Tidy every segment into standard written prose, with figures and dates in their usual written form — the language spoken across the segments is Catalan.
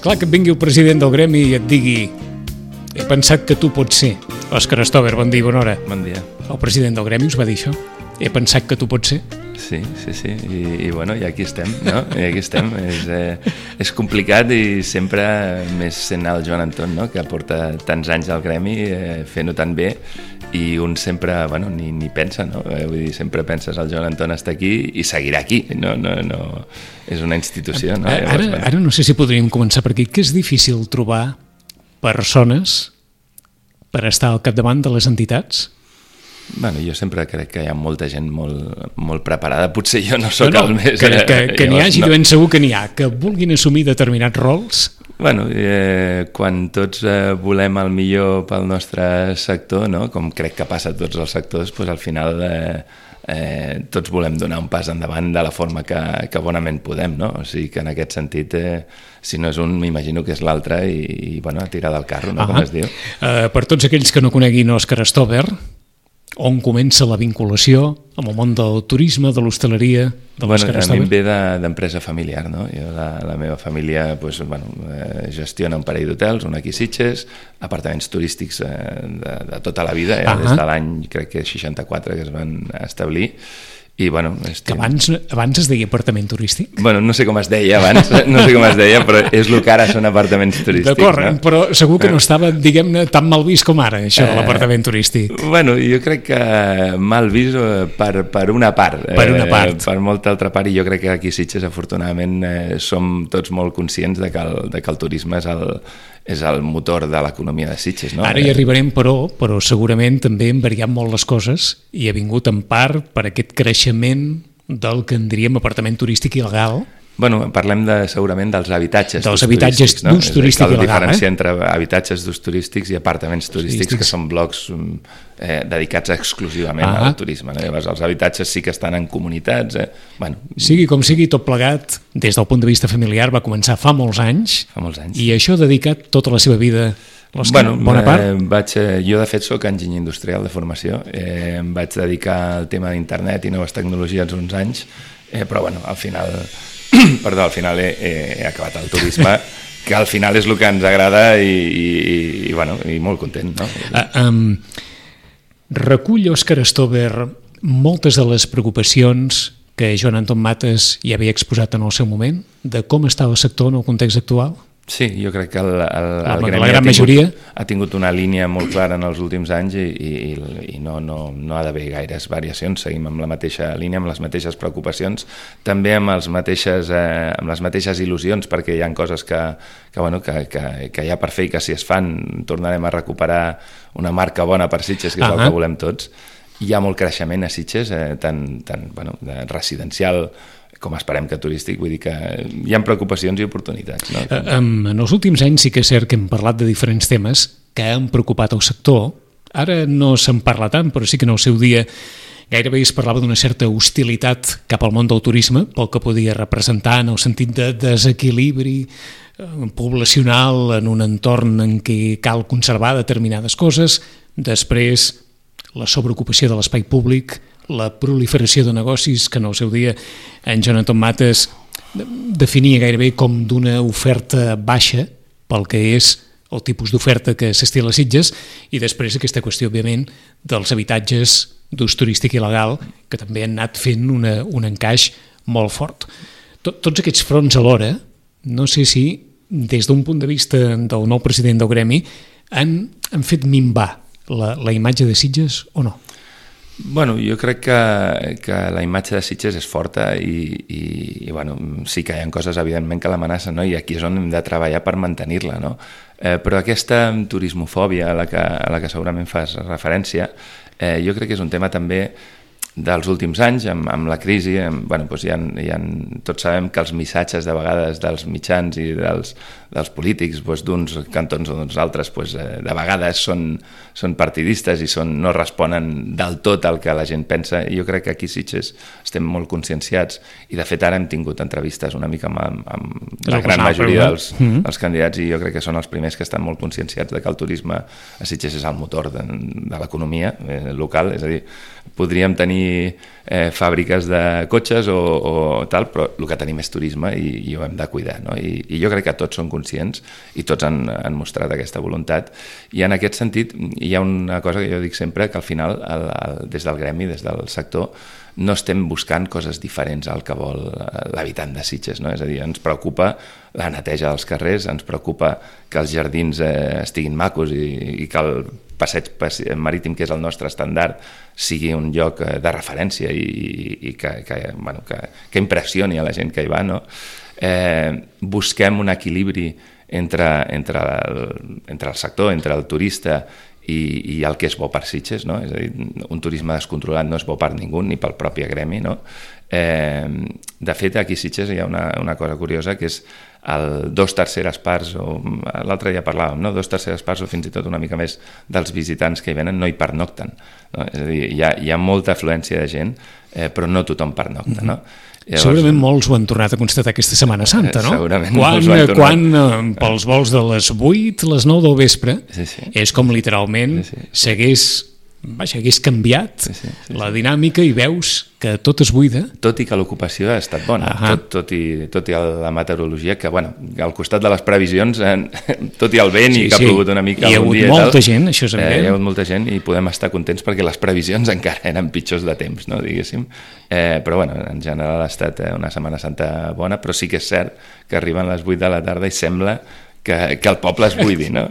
Clar que et vingui el president del gremi i et digui he pensat que tu pots ser. Òscar Stover, bon dia, bona hora. Bon dia. El president del gremi us va dir això? He pensat que tu pots ser? Sí. I bueno, i aquí estem, no? I aquí estem. És complicat i sempre més sent el Joan Anton, no? Que porta tants anys al gremi fent-ho tan bé i un sempre, bueno, ni pensa, no? Vull dir, sempre penses el Joan Anton està aquí i seguirà aquí, no. És una institució, no? Ara no sé si podríem començar per aquí, que és difícil trobar persones per estar al capdavant de les entitats? Bueno, jo sempre crec que hi ha molta gent molt preparada, potser jo no sóc el més... Que n'hi hagi, de ben segur que n'hi ha, que vulguin assumir determinats rols. Bueno, quan tots volem el millor pel nostre sector, no? Com crec que passa a tots els sectors, doncs al final tots volem donar un pas endavant de la forma que bonament podem, no? O sigui que en aquest sentit, si no és un, m'imagino que és l'altre i bueno, a tirar del carro, no? Com es diu. Per tots aquells que no coneguin Òscar Stover, on comença la vinculació amb el món del turisme, de l'hostaleria, de l'Òscar Stover? A mi em ve d'empresa familiar, no? Jo, la meva família gestiona un parell d'hotels, un aquí a Sitges, apartaments turístics de tota la vida, des de l'any, crec que 64, que es van establir. I, bueno, que abans es deia apartament turístic? Bueno, no sé com es deia abans, però és el que ara són apartaments turístics. D'acord, no? Però segur que no estava, diguem-ne, tan mal vist com ara, això de l'apartament turístic. Bueno, jo crec que mal vist per una part. Per una part. Per molta altra part, i jo crec que aquí a Sitges, afortunadament, som tots molt conscients de que el turisme és el motor de l'economia de Sitges, no? Ara hi arribarem, però segurament també han variat molt les coses i ha vingut en part per aquest creixement del que en diríem apartament turístic il·legal. Bueno, parlem segurament dels habitatges d'ús turístic il·legal. Cal diferenciar entre habitatges d'ús turístics i apartaments turístics, que són blocs dedicats exclusivament al turisme. Llavors, els habitatges sí que estan en comunitats. Sigui com sigui, tot plegat, des del punt de vista familiar, va començar fa molts anys. I això ha dedicat tota la seva vida. Bona part? Jo de fet soc enginyer industrial de formació, em vaig dedicar al tema d'internet i noves tecnologies uns anys, però bueno, al final he acabat el turisme, que al final és el que ens agrada i molt content, no? Recull Òscar Stover moltes de les preocupacions que Joan Anton Matas ja havia exposat en el seu moment, de com està el sector en el context actual? Sí, jo crec que el gremi ha tingut una línia molt clara en els últims anys i no ha d'haver gaires variacions. Seguim amb la mateixa línia, amb les mateixes preocupacions, també amb les mateixes il·lusions, perquè hi ha coses que hi ha per fer i que si es fan tornarem a recuperar una marca bona per Sitges, que és el que volem tots. Hi ha molt creixement a Sitges, tant residencial com esperem que turístic, vull dir que hi ha preocupacions i oportunitats. No? En els últims anys sí que és cert que hem parlat de diferents temes que han preocupat el sector. Ara no se'n parla tant, però sí que en el seu dia gairebé es parlava d'una certa hostilitat cap al món del turisme, pel que podia representar en el sentit de desequilibri poblacional en un entorn en què cal conservar determinades coses. Després, la sobreocupació de l'espai públic, la proliferació de negocis que en el seu dia en Joan Anton Matas definia gairebé com d'una oferta baixa pel que és el tipus d'oferta que s'estila a Sitges, i després aquesta qüestió, òbviament, dels habitatges d'ús turístic il·legal, que també han anat fent un encaix molt fort. Tots aquests fronts alhora, no sé si des d'un punt de vista del nou president del gremi han fet minvar la imatge de Sitges o no? Bueno, jo crec que la imatge de Sitges és forta i bueno, sí que hi ha coses evidentment que l'amenacen, no? I aquí és on hem de treballar per mantenir-la, no? Però aquesta turismofòbia a la que segurament fas referència, jo crec que és un tema també dels últims anys, amb la crisi. Tots sabem que els missatges de vegades dels mitjans i dels polítics, d'uns cantons o d'uns altres, de vegades són partidistes i no responen del tot al que la gent pensa. I jo crec que aquí a Sitges estem molt conscienciats i de fet ara hem tingut entrevistes una mica amb la gran majoria dels candidats i jo crec que són els primers que estan molt conscienciats de que el turisme a Sitges és el motor de l'economia local. És a dir, podríem tenir tenir fàbriques de cotxes o tal, però el que tenim és turisme i ho hem de cuidar, no? I jo crec que tots són conscients i tots han mostrat aquesta voluntat, i en aquest sentit hi ha una cosa que jo dic sempre, que al final des del gremi, des del sector, no estem buscant coses diferents al que vol l'habitant de Sitges, no? És a dir, ens preocupa la neteja dels carrers, ens preocupa que els jardins estiguin macos i que el passeig marítim, que és el nostre estàndard, sigui un lloc de referència i que impressioni a la gent que hi va, no? Busquem un equilibri entre el sector, entre el turista i el que és bo per Sitges, no? És a dir, un turisme descontrolat no és bo per ningú, ni pel propi gremi, no? De fet, aquí a Sitges hi ha una cosa curiosa, que és el 2/3 parts, o l'altre dia parlàvem, no? 2/3 parts o fins i tot una mica més dels visitants que hi venen no hi pernocten, no? És a dir, hi ha molta afluència de gent, però no tothom pernocta, no? Llavors, segurament molts ho han tornat a constatar aquesta Setmana Santa, no? Segurament molts ho han tornat. Quan pels vols de les 8, les 9 del vespre, és com literalment hagués canviat la dinàmica i veus que tot es buida. Tot i que l'ocupació ha estat bona, tot i la meteorologia, que al costat de les previsions, tot i el vent i que ha plogut una mica algun dia, hi ha hagut molta gent, això és evident. Hi ha hagut molta gent i podem estar contents perquè les previsions encara eren pitjors de temps, no, diguéssim. Però en general ha estat una Setmana Santa bona, però sí que és cert que arriben les 8 de la tarda i sembla que el poble es buidi, no?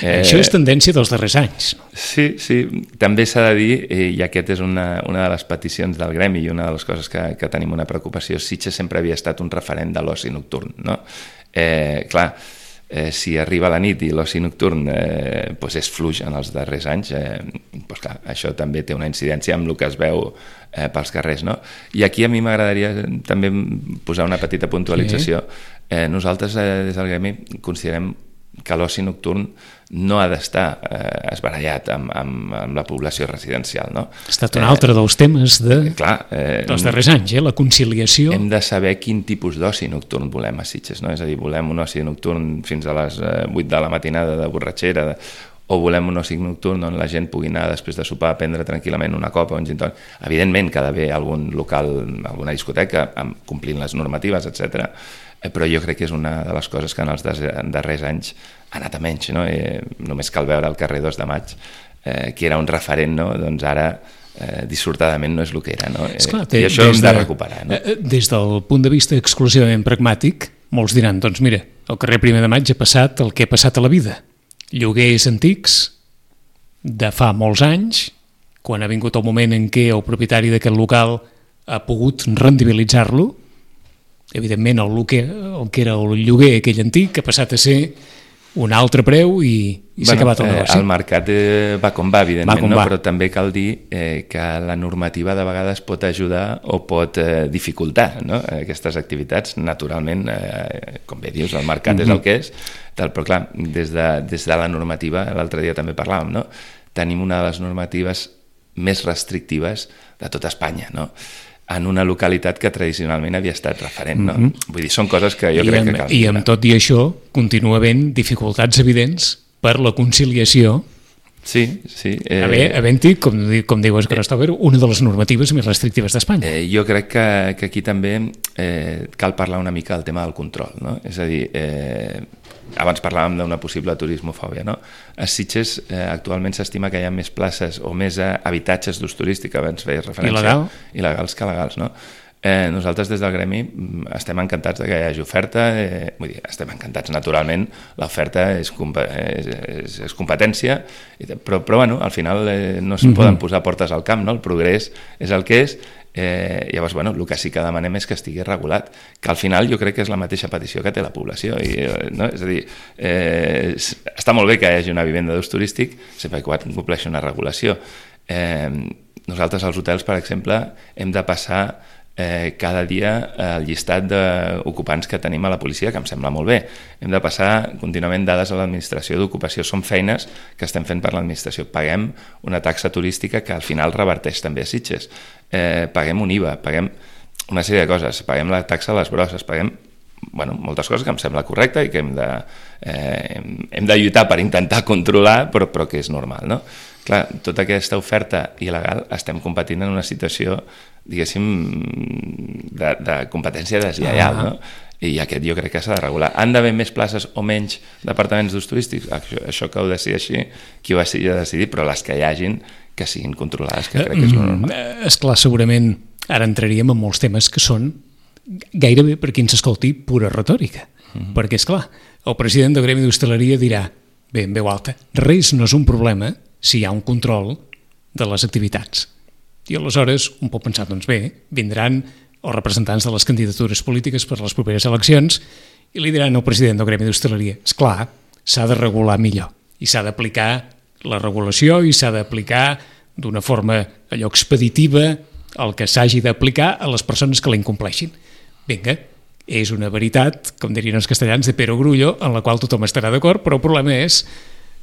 Això és tendència dels darrers anys. Sí, també s'ha de dir, i aquest és una de les peticions del gremi i una de les coses que tenim una preocupació, Sitges sempre havia estat un referent de l'oci nocturn, no? Clar, si arriba la nit i l'oci nocturn és fluix en els darrers anys, clar, això també té una incidència amb el que es veu pels carrers, no? I aquí a mi m'agradaria també posar una petita puntualització. Nosaltres des del gremi considerem que l'oci nocturn no ha d'estar esbarallat amb la població residencial, no? Ha estat un altre dels temes dels darrers anys, la conciliació. Hem de saber quin tipus d'oci nocturn volem a Sitges, no? És a dir, volem un oci nocturn fins a les 8 de la matinada de borratxera, o volem un oci nocturn on la gent pugui anar després de sopar a prendre tranquil·lament una copa o un gin tònic. Evidentment que ha d'haver algun local, alguna discoteca, complint les normatives, etc. Però jo crec que és una de les coses que en els darrers anys ha anat a menys, no? Només cal veure el carrer 2 de Maig, que era un referent, no? Doncs ara dissortadament no és el que era, no? Esclar, i això hem de recuperar, no? Des del punt de vista exclusivament pragmàtic, molts diran, doncs mira, al carrer 1 de Maig ha passat el que ha passat a la vida. Lloguers antics de fa molts anys, quan ha vingut el moment en què el propietari d'aquest local ha pogut rendibilitzar-lo, evidentment el que era el lloguer aquell antic ha passat a ser un altre preu i s'ha acabat el negoci. El mercat va com va, evidentment, no? Però també cal dir que la normativa de vegades pot ajudar o pot dificultar, no? Aquestes activitats. Naturalment, com bé dius, el mercat és el que és, però clar, des de la normativa, l'altre dia també parlàvem, no? Tenim una de les normatives més restrictives de tot Espanya, no? En una localitat que tradicionalment havia estat referent, no? Vull dir, són coses que jo crec que cal. I amb tot i això continua havent dificultats evidents per la conciliació. Sí. Havent-hi, com diu Òscar Stover, una de les normatives més restrictives d'Espanya. Jo crec que aquí també cal parlar una mica del tema del control, no? És a dir, abans parlàvem d'una possible turismofòbia, no? A Sitges actualment s'estima que hi ha més places o més habitatges d'ús turístic, abans feies referència, il·legals que legals, no? Nosaltres des del gremi estem encantats que hi hagi oferta, vull dir, estem encantats naturalment, l'oferta és competència, però bueno, al final no es poden posar portes al camp, no? El progrés és el que és. Llavors, bueno, el que sí que demanem és que estigui regulat, que al final jo crec que és la mateixa petició que té la població, no? És a dir, està molt bé que hi hagi una vivenda d'ús turístic sempre que compleixi una regulació. Nosaltres als hotels, per exemple, hem de passar cada dia el llistat d'ocupants que tenim a la policia, que em sembla molt bé. Hem de passar contínuament dades a l'administració d'ocupació. Són feines que estem fent per l'administració. Paguem una taxa turística que al final reverteix també a Sitges. Paguem un IVA, paguem una sèrie de coses, paguem la taxa a les brosses, paguem moltes coses que em sembla correcta i que hem de lluitar per intentar controlar, però que és normal, no? clar, tota aquesta oferta il·legal estem competint en una situació, diguéssim, de competència deslleial, no? I aquest jo crec que s'ha de regular. Han d'haver més places o menys departaments d'ús turístics? Això que ho decideixi qui ho hagi de decidir, però les que hi hagin que siguin controlades, que crec que és el normal. Esclar, segurament ara entraríem en molts temes que són gairebé, per qui ens escolti, pura retòrica. Perquè, esclar, el president del Gremi d'Hostaleria dirà, bé, en veu alta, res no és un problema si hi ha un control de les activitats. I aleshores un pot pensar, doncs bé, vindran els representants de les candidatures polítiques per a les properes eleccions i li diran al president del Gremi d'Hostaleria, esclar, s'ha de regular millor i s'ha d'aplicar la regulació i s'ha d'aplicar d'una forma allò expeditiva el que s'hagi d'aplicar a les persones que la incompleixin. Vinga, és una veritat, com dirien els castellans, de perogrullo, en la qual tothom estarà d'acord, però el problema és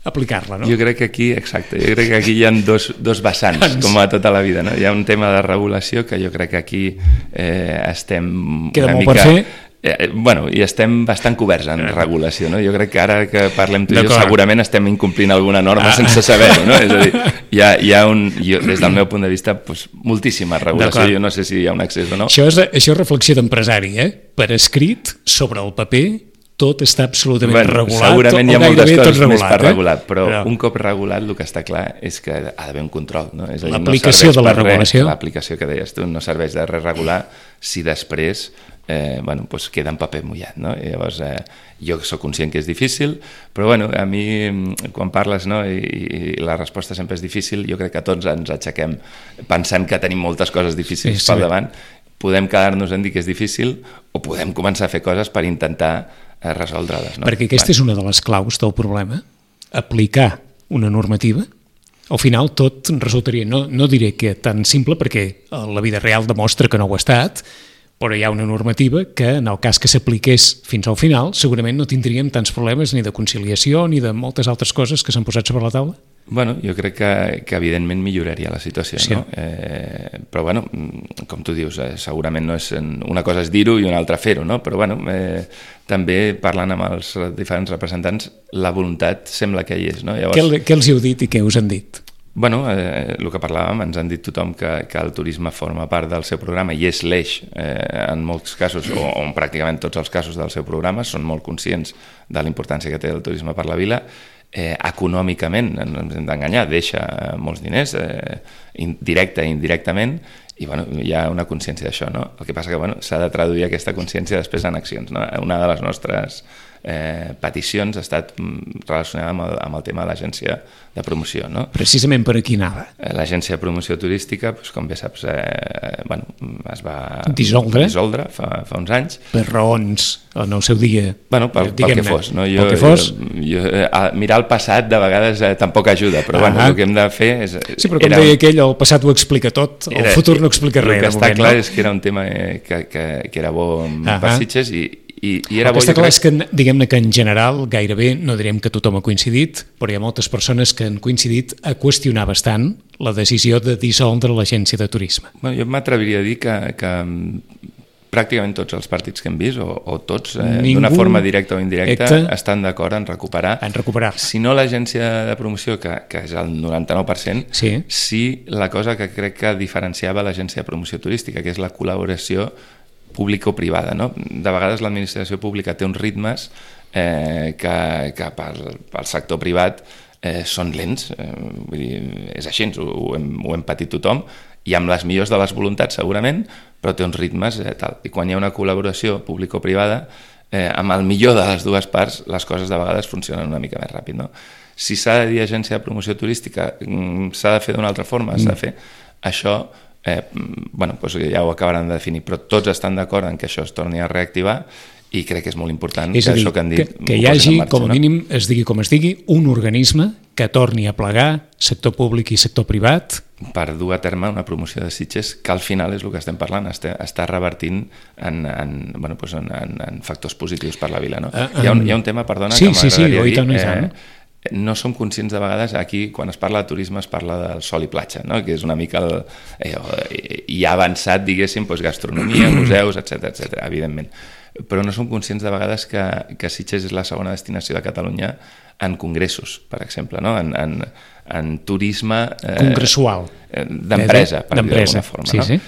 aplicar-la, no? Jo crec que aquí, exacte, jo crec que aquí hi ha dos vessants, com a tota la vida, no? Hi ha un tema de regulació que jo crec que aquí estem queda una molt mica... per fer. I estem bastant coberts en regulació, no? Jo crec que ara que parlem tu i jo segurament estem incomplint alguna norma sense saber-ho, no? És a dir, hi ha des del meu punt de vista, moltíssima regulació, jo no sé si hi ha un excés o no. Això és reflexió d'empresari, Per escrit, sobre el paper, tot està absolutament regulat. Segurament hi ha moltes coses més per regular, però un cop regulat el que està clar és que ha d'haver un control, no? És a dir, l'aplicació de la regulació. L'aplicació que deies tu no serveix de res regular si després queda en paper mullat, no? I llavors jo soc conscient que és difícil, però a mi quan parles, no, i la resposta sempre és difícil, jo crec que tots ens aixequem pensant que tenim moltes coses difícils pel davant, podem quedar-nos en dir que és difícil o podem començar a fer coses per intentar resoldre-les, no? Perquè aquesta és una de les claus del problema, aplicar una normativa. Al final tot resultaria, no diré que tan simple, perquè la vida real demostra que no ho ha estat, però hi ha una normativa que, en el cas que s'apliqués fins al final, segurament no tindríem tants problemes ni de conciliació ni de moltes altres coses que s'han posat sobre la taula. Jo crec que evidentment milloraria la situació, sí. No? Però com tu dius, segurament no és una cosa és dir-ho i una altra fer-ho, no? Però també parlant amb els diferents representants la voluntat sembla que hi és, no? Llavors, què els heu dit i què us han dit? El que parlàvem, ens han dit tothom que el turisme forma part del seu programa i és l'eix en molts casos, o en pràcticament tots els casos del seu programa, són molt conscients de la importància que té el turisme per la vila. Econòmicament, no ens hem d'enganyar, deixa molts diners, directe i indirectament, i hi ha una consciència d'això, no? El que passa que s'ha de traduir aquesta consciència després en accions, no? Una de les nostres peticions ha estat relacionada amb el tema de l'agència de promoció, no? Precisament per aquí anava. L'agència de promoció turística, com bé saps, es va dissoldre fa uns anys. Per raons, en el seu dia. Pel que fos, no? Mirar el passat de vegades tampoc ajuda, però el que hem de fer és... Sí, però com deia aquell, el passat ho explica tot, el futur no explica res. El que està clar és que era un tema que era bo per Sitges i era bo... El que està clar és que, diguem-ne que en general, gairebé, no direm que tothom ha coincidit, però hi ha moltes persones que han coincidit a qüestionar bastant la decisió de dissoldre l'agència de turisme. Jo m'atreviria a dir que pràcticament tots els partits que hem vist, o tots, d'una forma directa o indirecta, estan d'acord en recuperar. Si no l'agència de promoció, que és el 99%, sí la cosa que crec que diferenciava l'agència de promoció turística, que és la col·laboració pública o privada, no? De vegades l'administració pública té uns ritmes que pel sector privat són lents, vull dir, és així, ho hem patit tothom, i amb les millors de les voluntats segurament, però té uns ritmes tal. I quan hi ha una col·laboració público-privada, amb el millor de les dues parts, les coses de vegades funcionen una mica més ràpid, no? Si s'ha de dir agència de promoció turística, s'ha de fer d'una altra forma, s'ha de fer això... ja ho acabaran de definir, però tots estan d'acord en que això es torni a reactivar i crec que és molt important que això que han dit que hi hagi, com a mínim, es digui com es digui, un organisme que torni a plegar sector públic i sector privat per dur a terme una promoció de Sitges que al final és el que estem parlant, està revertint en factors positius per la vila, no? Hi ha un tema, perdona, que m'agradaria dir. no som conscients de vegades, aquí quan es parla de turisme es parla del sol i platja, no? Que és una mica i ha avançat, diguéssim, doncs, gastronomia, museus, etc, evidentment. Però no som conscients de vegades que Sitges és la segona destinació de Catalunya en congressos, per exemple, no? En turisme congressual d'empresa, per dir-ho d'alguna forma. Sí, no? sí.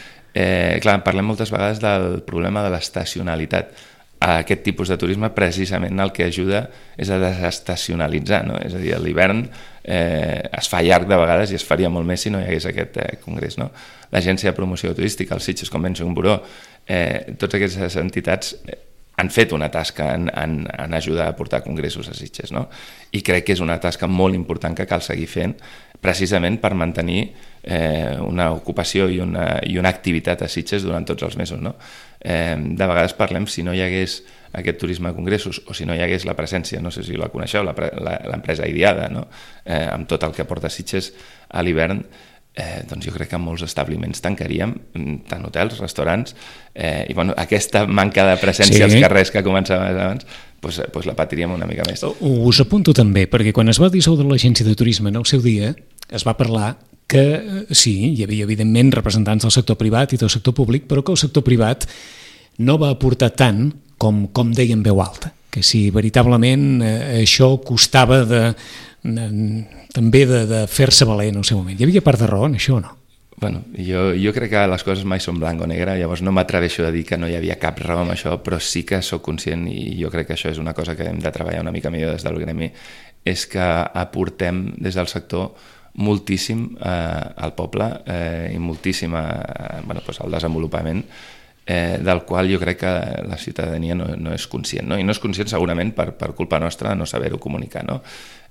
Clar, parlem moltes vegades del problema de l'estacionalitat. A aquest tipus de turisme precisament el que ajuda és a desestacionalitzar, no? És a dir, a l'hivern es fa llarg de vegades i es faria molt més si no hi hagués aquest congrés, no? L'Agència de Promoció Turística, el Sitges Convention Bureau, totes aquestes entitats han fet una tasca en ajudar a portar congressos a Sitges, no? I crec que és una tasca molt important que cal seguir fent precisament per mantenir una ocupació i una activitat a Sitges durant tots els mesos, no? De vegades parlem, si no hi hagués aquest turisme de congressos o si no hi hagués la presència, no sé si la coneixeu, l'empresa Idiada, no? Amb tot el que porta Sitges a l'hivern, doncs jo crec que molts establiments tancaríem, tant hotels, restaurants, i bueno, aquesta manca de presència als carrers que començava abans, doncs la patiríem una mica més. Us apunto també, perquè quan es va dissoldre l'agència de turisme en el seu dia, es va parlar que sí, hi havia evidentment representants del sector privat i del sector públic, però que el sector privat no va aportar tant com deia en veu alta, que si veritablement això costava també de fer-se valer en el seu moment. Hi havia part de raó en això o no? Bueno, jo crec que les coses mai són blanc o negre, llavors no m'atreveixo a dir que no hi havia cap raó amb això, però sí que sóc conscient, i jo crec que això és una cosa que hem de treballar una mica millor des del gremi, és que aportem des del sector moltíssim al poble i moltíssim al desenvolupament, del qual jo crec que la ciutadania no és conscient, no? I no és conscient segurament per culpa nostra de no saber-ho comunicar, no?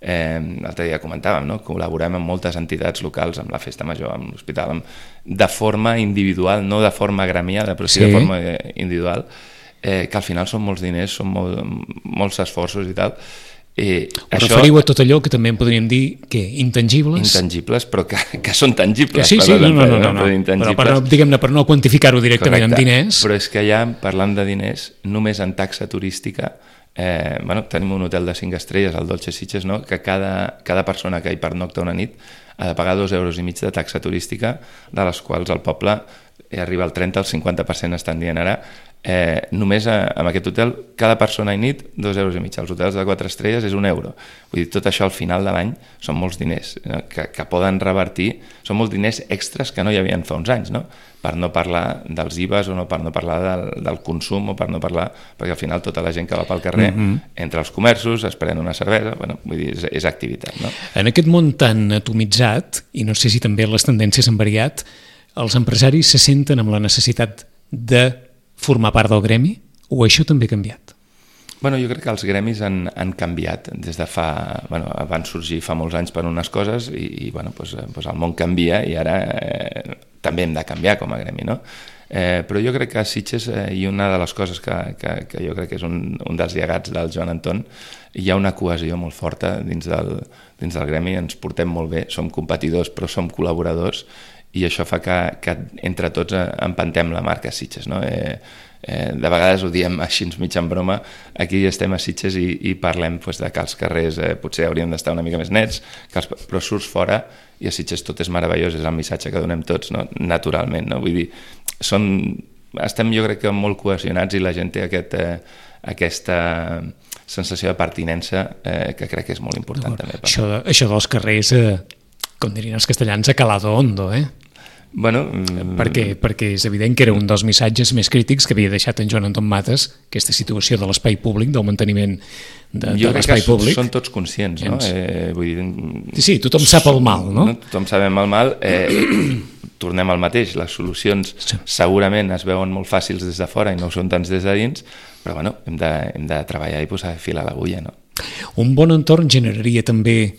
L'altre dia comentàvem, no? Col·laborem amb moltes entitats locals, amb la Festa Major, amb l'Hospital, de forma individual, no de forma gremiada, però sí de forma individual, que al final són molts diners, són molts esforços i tal. Us referiu a tot allò que també en podríem dir que intangibles? Intangibles, però que són tangibles. Sí, no. Diguem-ne, per no quantificar-ho directament en diners. Però és que ja, parlant de diners, només en taxa turística, tenim un hotel de 5 estrelles, el Dolce Sitges, no? Que cada persona que hi pernocta una nit ha de pagar 2,5 euros de taxa turística, de les quals el poble arriba al 30, al 50% estan dient ara. Només en aquest hotel, cada persona i nit 2,5 euros. Els hotels de 4 estrelles és 1 euro. Vull dir, tot això al final de l'any són molts diners que poden revertir, són molts diners extras que no hi havia fa uns anys, no? Per no parlar dels IVAs o per no parlar del consum o per no parlar, perquè al final tota la gent que va pel carrer entre els comerços, es pren una cervesa, vull dir, és activitat, no? En aquest món tan atomitzat, i no sé si també les tendències han variat, els empresaris se senten amb la necessitat de formar part del gremi, o això també ha canviat? Jo crec que els gremis han canviat des de van sorgir fa molts anys per unes coses i el món canvia i ara també hem de canviar com a gremi, no? Però jo crec que a Sitges, i una de les coses que jo crec que és un dels llegats del Joan Anton, hi ha una cohesió molt forta dins del gremi, ens portem molt bé, som competidors però som col·laboradors, i això fa que entre tots empantem la marca Sitges, no? De vegades ho diem així mig en broma, aquí estem a Sitges i parlem de que els carrers potser hauríem d'estar una mica més nets, però surts fora i a Sitges tot és meravellós, és el missatge que donem tots, no? Naturalment, no? Vull dir, estem jo crec que molt cohesionats i la gent té aquesta sensació de pertinença que crec que és molt important també. Això dels carrers, com dirien els castellans, a calado hondo, perquè és evident que era un dels missatges més crítics que havia deixat en Joan Anton Matas, aquesta situació de l'espai públic, del manteniment de l'espai públic. Jo crec que són tots conscients, no? Vull dir, sí, tothom sap el mal, no? Tothom sabem el mal, tornem al mateix, les solucions segurament es veuen molt fàcils des de fora i no ho són tants des de dins, però hem de treballar i posar fil a l'agulla, no? Un bon entorn generaria també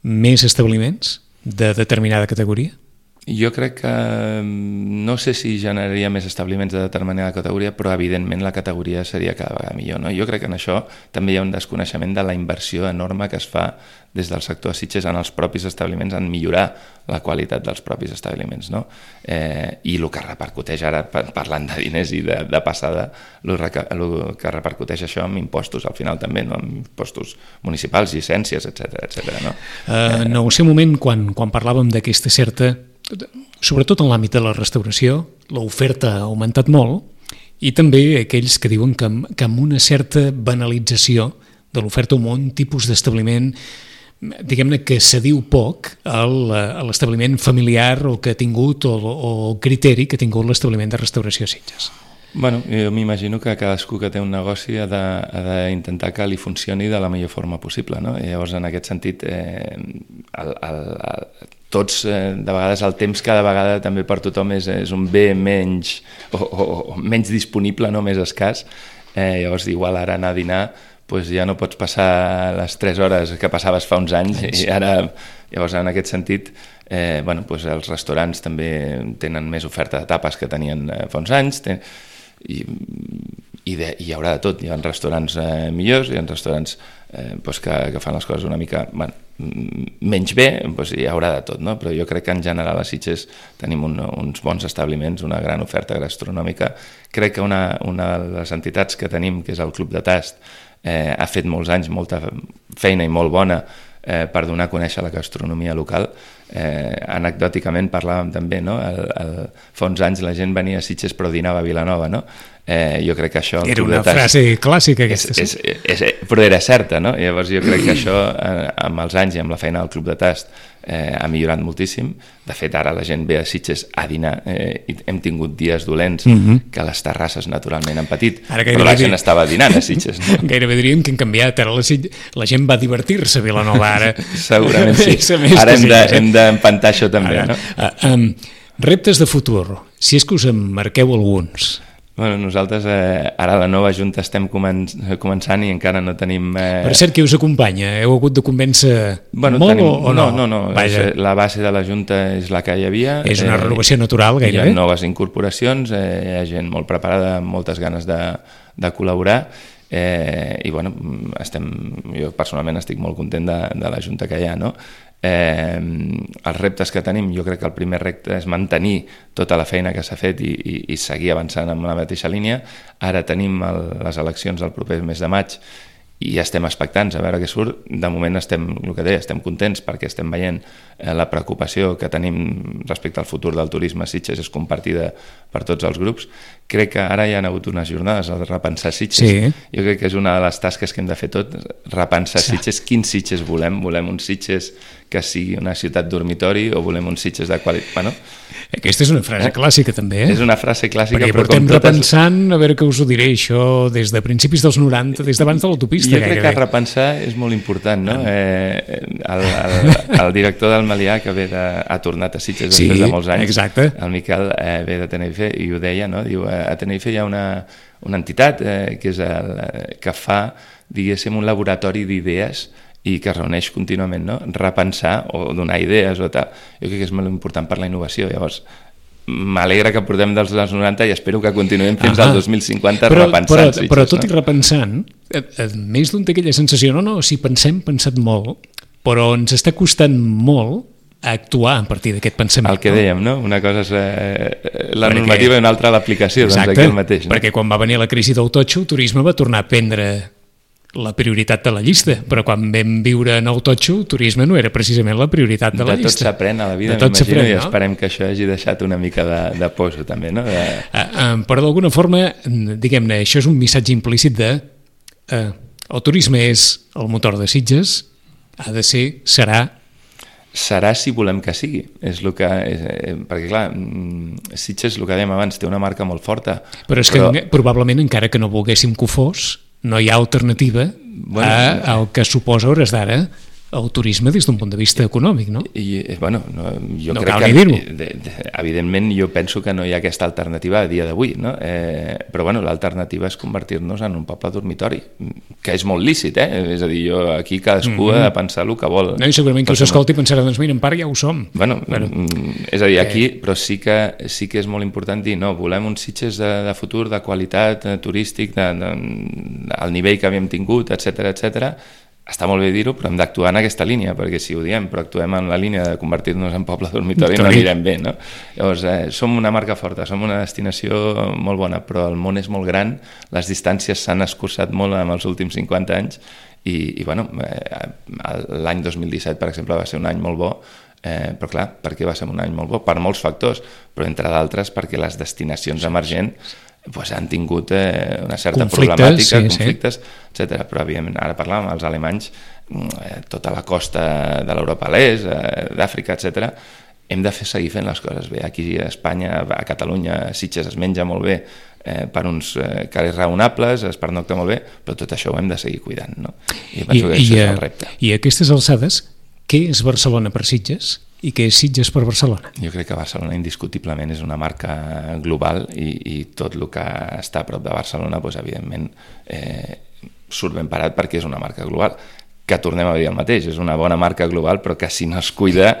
més establiments de determinada categoria? Jo crec que no sé si generaria més establiments de determinada categoria, però evidentment la categoria seria cada vegada millor, no? Jo crec que en això també hi ha un desconeixement de la inversió enorme que es fa des del sector de Sitges en els propis establiments en millorar la qualitat dels propis establiments, no? I el que repercuteix ara, parlant de diners i de passada, el que repercuteix això amb impostos al final també, no? Amb impostos municipals, llicències, etc. No? En el seu moment, quan parlàvem d'aquesta certa, sobretot en l'àmbit de la restauració, l'oferta ha augmentat molt i també aquells que diuen que amb una certa banalització de l'oferta o un tipus d'establiment, diguem-ne que se diu poc a l'establiment familiar o que ha tingut o criteri que ha tingut l'establiment de restauració Sitges. Bueno, jo m'imagino que cadascú que té un negoci ha d'intentar que li funcioni de la millor forma possible, no? I llavors, en aquest sentit, tots, de vegades, el temps cada vegada també per tothom és un bé menys o menys disponible, no? Més escàs. Llavors, igual ara anar a dinar pues ja no pots passar les 3 hores que passaves fa uns anys i ara, llavors, en aquest sentit, pues els restaurants també tenen més oferta de tapes que tenien fa uns anys, i hi haurà de tot. Hi ha restaurants millors, hi ha restaurants que fan les coses una mica menys bé, hi haurà de tot, no? Però jo crec que en general a Sitges tenim uns bons establiments, una gran oferta gastronòmica. Crec que una de les entitats que tenim, que és el Club de Tast, ha fet molts anys molta feina i molt bona per donar a conèixer la gastronomia local. Anecdòticament parlàvem també, no? Fa uns anys la gent venia a Sitges però dinava a Vilanova, no? Jo crec que això... Era una frase clàssica aquesta, però era certa, no? Llavors jo crec que això amb els anys i amb la feina del Club de Tast ha millorat moltíssim. De fet, ara la gent ve a Sitges a dinar i hem tingut dies dolents que les terrasses naturalment han patit, però la gent estava dinant a Sitges, no? Gairebé diríem que han canviat, ara la gent va divertir-se a Vilanova ara. Segurament sí, ara hem d'empantar això també, no? Reptes de futur, si és que us en marqueu alguns. Bueno, nosaltres ara a la nova Junta estem començant i encara no tenim... Per cert, qui us acompanya? Heu hagut de convèncer molt o no? No. La base de la Junta és la que hi havia. És una renovació natural, gairebé. Hi ha noves incorporacions, hi ha gent molt preparada, amb moltes ganes de col·laborar, i bueno, jo personalment estic molt content de la Junta que hi ha, no? Els reptes que tenim, jo crec que el primer repte és mantenir tota la feina que s'ha fet i seguir avançant en la mateixa línia. Ara tenim les eleccions el proper mes de maig i estem expectants a veure què surt. De moment estem contents perquè estem veient la preocupació que tenim respecte al futur del turisme a Sitges és compartida per tots els grups. Crec que ara hi ha hagut unes jornades de repensar Sitges. Sí. Jo crec que és una de les tasques que hem de fer tot, repensar Sitges. Quins Sitges volem? Volem un Sitges que sigui una ciutat dormitori o volem un Sitges de qualitat? Bueno, aquesta és una frase clàssica també, És una frase clàssica, perquè portem repensant, a veure què us ho diré, això des de principis dels 90, des d'abans de l'autopista. Jo crec que repensar és molt important, no? El director del Melià, que ha tornat a Sitges després de molts anys, exacte. El Miquel ve de Tenerife i ho deia, no? Diu, a Tenerife hi ha una entitat que fa, diguéssim, un laboratori d'idees i que es reuneix contínuament, no? Repensar o donar idees o tal. Jo crec que és molt important per la innovació. Llavors, m'alegra que portem dels 90 i espero que continuem fins al 2050 repensant Sitges. Però tot i repensant, més d'un té aquella sensació, no, si pensem, pensat molt, però ens està costant molt actuar a partir d'aquest pensament. El que dèiem, no? Una cosa és la normativa i una altra l'aplicació, doncs aquí el mateix. Perquè quan va venir la crisi del totxo, el turisme va tornar a prendre la prioritat de la llista, però quan vam viure en el totxo, el turisme no era precisament la prioritat de la llista. De tot s'aprèn a la vida, m'imagino, i esperem que això hagi deixat una mica de poso també, no? Però d'alguna forma, diguem-ne, això és un missatge implícit de el turisme és el motor de Sitges, ha de ser, serà si volem que sigui, perquè clar, Sitges, el que dèiem abans, té una marca molt forta. Però és que probablement, encara que no volguéssim que ho fos, no hi ha alternativa al que suposa, a hores d'ara, el turisme des d'un punt de vista econòmic, no? Bueno, jo no crec cal que, ni dir-ho. Evidentment, jo penso que no hi ha aquesta alternativa a dia d'avui, no? Però bueno, l'alternativa és convertir-nos en un poble dormitori, que és molt lícit, és a dir, jo aquí cadascú ha de pensar el que vol. No, i segurament que us escolti i pensarà, doncs mira, en part ja ho som. Bueno, és a dir, aquí, però sí que és molt important dir, no, volem uns Sitges de futur, de qualitat, turístic, al nivell que havíem tingut, etc. Està molt bé dir-ho, però hem d'actuar en aquesta línia, perquè si ho diem, però actuem en la línia de convertir-nos en poble dormitori, no anirem bé, no? Llavors, som una marca forta, som una destinació molt bona, però el món és molt gran, les distàncies s'han escurçat molt en els últims 50 anys, i bueno, l'any 2017, per exemple, va ser un any molt bo, però clar, per què va ser un any molt bo? Per molts factors, però entre d'altres perquè les destinacions emergents han tingut una certa problemàtica, conflictes, etc. Però evidentment, ara parlàvem, els alemanys, tota la costa de l'Europa a l'est, d'Àfrica, etc. Hem de seguir fent les coses bé. Aquí a Espanya, a Catalunya, a Sitges es menja molt bé per uns carrers raonables, es pernocta molt bé, però tot això ho hem de seguir cuidant, no? I penso que això és el repte. I a aquestes alçades, què és Barcelona per Sitges i què és Sitges per Barcelona? Jo crec que Barcelona indiscutiblement és una marca global i tot el que està a prop de Barcelona, evidentment, surt ben parat perquè és una marca global. Que tornem a dir el mateix, és una bona marca global, però que si no es cuida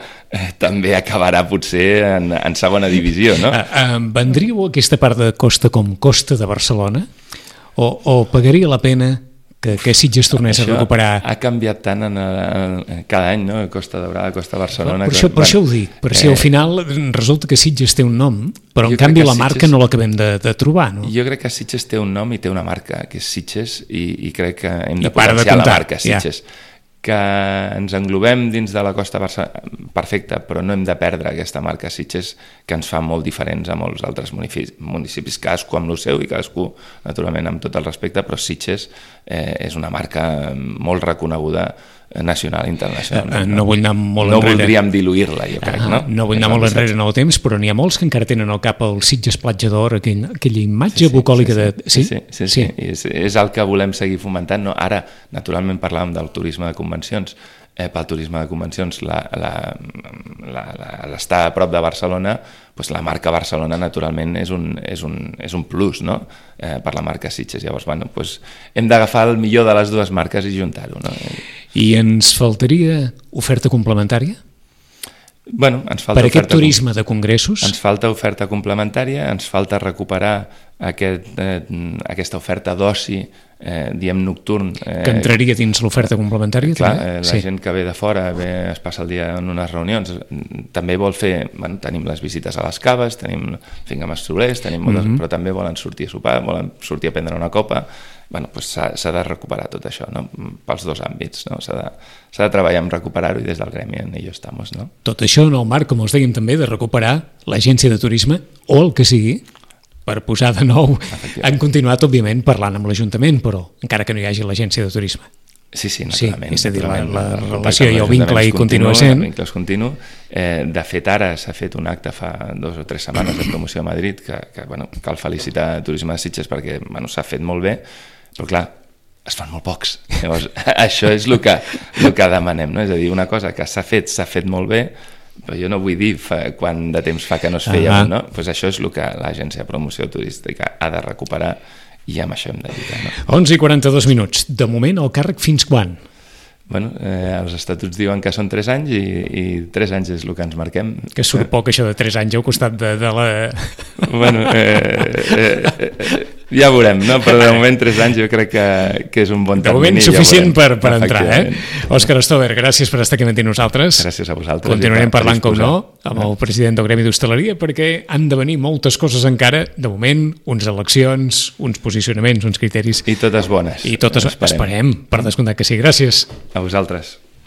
també acabarà potser en segona divisió, no? Vendríeu aquesta part de costa com costa de Barcelona? O pagaria la pena que Sitges tornés a recuperar... Ha canviat tant cada any, no? Costa Daurada, Costa Barcelona... Per això ho dic, perquè al final resulta que Sitges té un nom, però en canvi la marca no l'acabem de trobar, no? Jo crec que Sitges té un nom i té una marca, que és Sitges, i crec que hem de potenciar la marca Sitges. Que ens englobem dins de la costa perfecta, però no hem de perdre aquesta marca Sitges, que ens fa molt diferents a molts altres municipis, cadascú amb el seu i cadascú, naturalment, amb tot el respecte, però Sitges és una marca molt reconeguda nacional i internacional. No vull anar molt enrere. No voldríem diluir-la, jo crec, no? No vull anar molt enrere en el temps, però n'hi ha molts que encara tenen al cap el Sitges Platja d'Or, aquella imatge bucòlica de... Sí. És el que volem seguir fomentant, no? Ara, naturalment, parlàvem del turisme de convencions. Pel turisme de convencions, l'estar a prop de Barcelona, la marca Barcelona, naturalment, és un plus, no? Per la marca Sitges. Llavors, hem d'agafar el millor de les dues marques i juntar-ho, no? I ens faltaria oferta complementària? Ens falta per aquest turisme de congressos? Ens falta oferta complementària, ens falta recuperar aquesta oferta d'oci, diem nocturn. Que entraria dins l'oferta complementària? Clar, la gent que ve de fora, es passa el dia en unes reunions, també vol fer, tenim les visites a les caves, tenim finca Massolers, però també volen sortir a sopar, volen sortir a prendre una copa. S'ha de recuperar tot això, no? Pels dos àmbits, no? S'ha de treballar en recuperar-ho i des del gremi en ello estamos, no? Tot això en el marc, com us dèiem també, de recuperar l'agència de turisme o el que sigui, per posar de nou. Han continuat, òbviament, parlant amb l'Ajuntament, però encara que no hi hagi l'agència de turisme. Sí, naturalment. És a dir, la relació i el vincle hi continua sent. El vincle és continu. De fet, ara s'ha fet un acte fa 2 o 3 setmanes de promoció a Madrid, que cal felicitar Turisme de Sitges perquè s'ha fet molt bé, però clar, es fan molt pocs. Llavors, això és el que demanem, no? És a dir, una cosa que s'ha fet molt bé, però jo no vull dir quant de temps fa que no es feia, no? Això és el que l'agència de promoció turística ha de recuperar i amb això hem de lluitar, no? 11:42. De moment, el càrrec fins quan? Els estatuts diuen que són 3 anys i 3 anys és el que ens marquem. Que surt poc això de 3 anys al costat de la... Ja veurem, no? Però de moment 3 anys jo crec que és un bon termini. De moment suficient per entrar, Òscar Stover, gràcies per estar aquí amb nosaltres. Gràcies a vosaltres. Continuarem parlant, com no, amb el president del Gremi d'Hostaleria, perquè han de venir moltes coses encara, de moment, uns eleccions, uns posicionaments, uns criteris. I totes bones. I totes esperem, per descomptat que sí. Gràcies. A vosaltres.